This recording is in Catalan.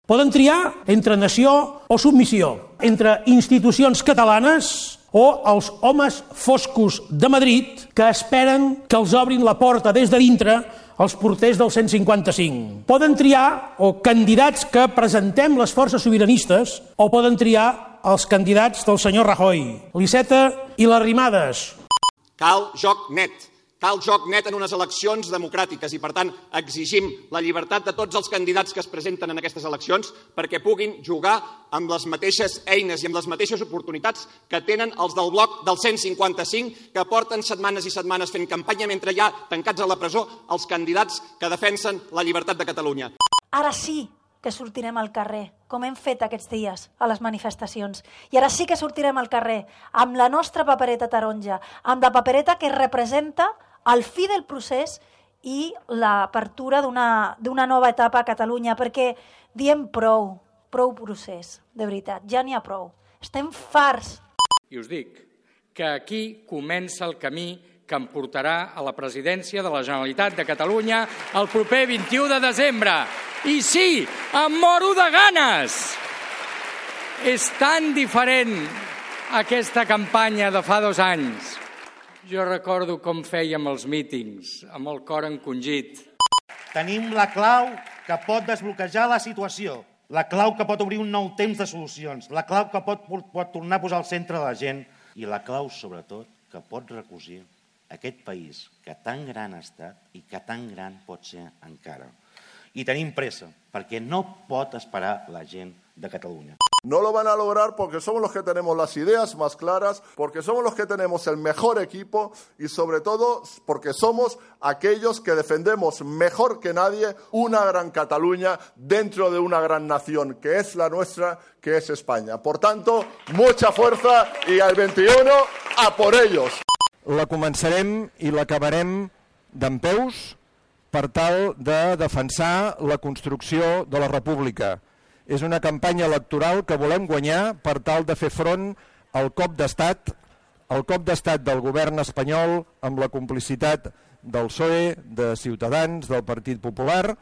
Poden triar entre nació o submissió, entre institucions catalanes o els homes foscos de Madrid que esperen que els obrin la porta des de dintre els porters del 155. Poden triar o candidats que presentem les forces sobiranistes o poden triar els candidats del senyor Rajoy, l'Iceta i les Arrimadas. Cal joc net. Cal joc net en unes eleccions democràtiques i, per tant, exigim la llibertat de tots els candidats que es presenten en aquestes eleccions perquè puguin jugar amb les mateixes eines i amb les mateixes oportunitats que tenen els del bloc del 155, que porten setmanes i setmanes fent campanya mentre hi ha tancats a la presó els candidats que defensen la llibertat de Catalunya. Ara sí que sortirem al carrer, com hem fet aquests dies a les manifestacions. I ara sí que sortirem al carrer amb la nostra papereta taronja, amb la papereta que representa el fi del procés i l'apertura d'una nova etapa a Catalunya, perquè diem prou procés, de veritat, ja n'hi ha prou. Estem farts. I us dic que aquí comença el camí que em portarà a la presidència de la Generalitat de Catalunya el proper 21 de desembre. I sí, em moro de ganes! És tan diferent aquesta campanya de fa 2 anys. Jo recordo com fèiem els mítings, amb el cor encongit. Tenim la clau que pot desbloquejar la situació, la clau que pot obrir un nou temps de solucions, la clau que pot tornar a posar al centre de la gent i la clau, sobretot, que pot recosir aquest país que tan gran ha estat i que tan gran pot ser encara. I tenim pressa, perquè no pot esperar la gent de Catalunya. No lo van a lograr porque somos los que tenemos las ideas más claras, porque somos los que tenemos el mejor equipo y sobre todo porque somos aquellos que defendemos mejor que nadie una gran Cataluña dentro de una gran nación que es la nuestra, que es España. Por tanto, mucha fuerza y al 21 a por ellos. La començarem i l'acabarem dempeus per tal de defensar la construcció de la República. És una campanya electoral que volem guanyar per tal de fer front al cop d'estat del govern espanyol amb la complicitat del PSOE, de Ciutadans, del Partit Popular.